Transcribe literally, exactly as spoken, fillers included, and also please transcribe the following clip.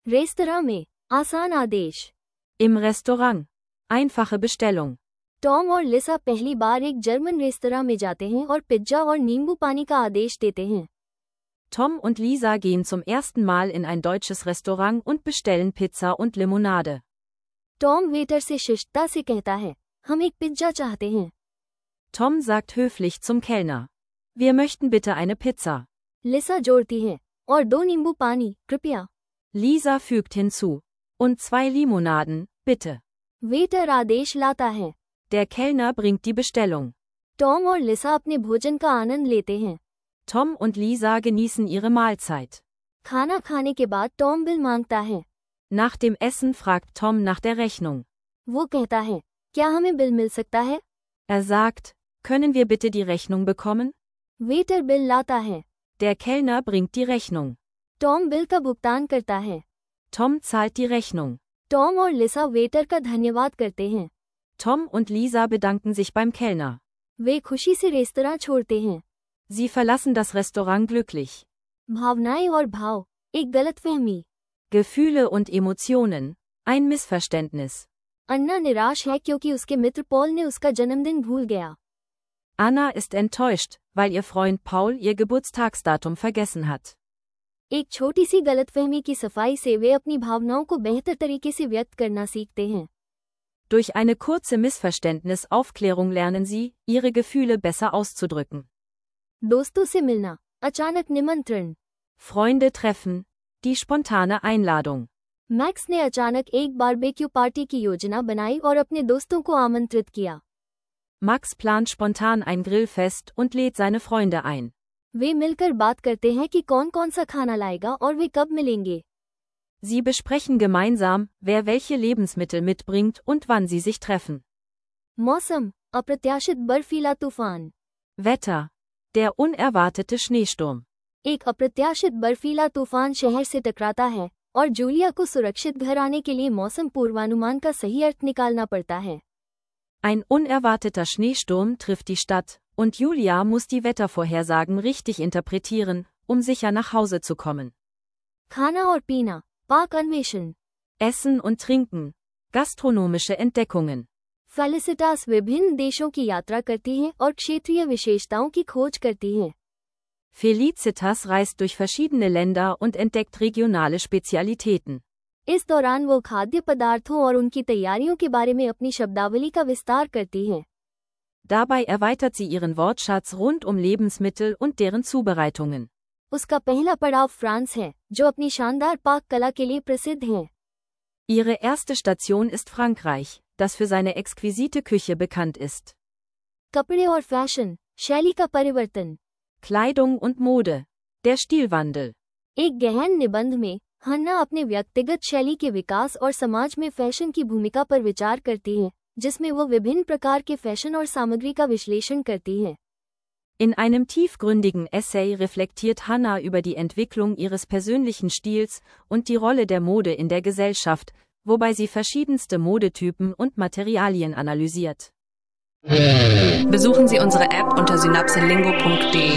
रेस्तरां में आसान आदेश। Im Restaurant. Einfache Bestellung. Tom और लिसा पहली बार एक जर्मन रेस्तरां में जाते हैं और पिज्जा और नींबू पानी का आदेश देते हैं। Tom und Lisa gehen zum ersten Mal in ein deutsches Restaurant und bestellen Pizza und Limonade. Tom waiter से शिष्टता से कहता है, हम एक पिज्जा चाहते हैं। Tom sagt höflich zum Kellner. Wir möchten bitte eine Pizza. लिसा जोड़ती है, और दो नींबू पानी, कृपया। Lisa fügt hinzu. Und zwei Limonaden, bitte. Waiter आदेश लाता है। Der Kellner bringt die Bestellung. Tom और लिसा अपने भोजन का आनंद लेते हैं। Tom und Lisa genießen ihre Mahlzeit. खाना खाने के बाद टॉम बिल मांगता है। Nach dem Essen fragt Tom nach der Rechnung. वो कहता है, क्या हमें बिल मिल सकता है? Er sagt, können wir bitte die Rechnung bekommen? Waiter bill लाता है। Der Kellner bringt die Rechnung. Tom bill का भुगतान करता है। Tom zahlt die Rechnung. Tom और लिसा वेटर का धन्यवाद करते हैं। Tom und Lisa bedanken sich beim Kellner. वे खुशी से रेस्तरां छोड़ते हैं। Sie verlassen das Restaurant glücklich. भावनाएं और भाव, एक गलतफहमी। Gefühle und Emotionen, ein Missverständnis. अन्ना निराश है क्योंकि उसके मित्र पॉल ने उसका जन्मदिन भूल गया। Anna ist enttäuscht, weil ihr Freund Paul ihr Geburtstagsdatum vergessen hat. एक छोटी सी गलतफहमी की सफाई से वे अपनी भावनाओं को बेहतर तरीके से व्यक्त करना सीखते हैं। Durch eine kurze Missverständnis-Aufklärung lernen sie, ihre Gefühle besser auszudrücken. दोस्तों से मिलना, अचानक निमंत्रण। Freunde treffen, die spontane Einladung. Max ने अचानक एक बारबेक्यू पार्टी की योजना बनाई और अपने दोस्तों को आमंत्रित किया। Max plant spontan ein Grillfest und lädt seine Freunde ein. वे मिलकर बात करते हैं कि कौन कौन सा खाना लाएगा और वे कब मिलेंगे। Sie besprechen gemeinsam, wer welche Lebensmittel mitbringt und wann sie sich treffen. मौसम, अप्रत्याशित बर्फीला तूफान। Wetter. Der unerwartete Schneesturm. एक अप्रत्याशित बर्फीला तूफान शहर से टकराता है और जूलिया को सुरक्षित घर आने के लिए मौसम पूर्वानुमान का सही अर्थ निकालना पड़ता है। Ein unerwarteter Schneesturm trifft die Stadt, und Julia muss die Wettervorhersagen richtig interpretieren, um sicher nach Hause zu kommen. खाना और पीना, पाक अन्वेषण। Essen und Trinken. Gastronomische Entdeckungen. फेलिसिटास विभिन्न देशों की यात्रा करती है और क्षेत्रीय विशेषताओं की खोज करती है। Felicitas reist durch verschiedene Länder und entdeckt regionale Spezialitäten. इस दौरान वो खाद्य पदार्थों और उनकी तैयारियों के बारे में अपनी शब्दावली का विस्तार करती है। Dabei erweitert sie ihren Wortschatz rund um Lebensmittel und deren Zubereitungen. उसका पहला पड़ाव फ्रांस है, जो अपनी शानदार पाक कला के लिए प्रसिद्ध है। Ihre erste Station ist Frankreich, das für seine exquisite Küche bekannt ist. कपड़े और फैशन, शैली का परिवर्तन। Kleidung und Mode. Der Stilwandel. एक गहन निबंध में हन्ना अपने व्यक्तिगत शैली के विकास और समाज में फैशन की भूमिका पर विचार करती है, जिसमें वो विभिन्न प्रकार के फैशन और सामग्री का विश्लेषण करती है। In einem tiefgründigen Essay reflektiert Hannah über die Entwicklung ihres persönlichen Stils und die Rolle der Mode in der Gesellschaft, wobei sie verschiedenste Modetypen und Materialien analysiert. Besuchen Sie unsere App unter synapselingo punkt de.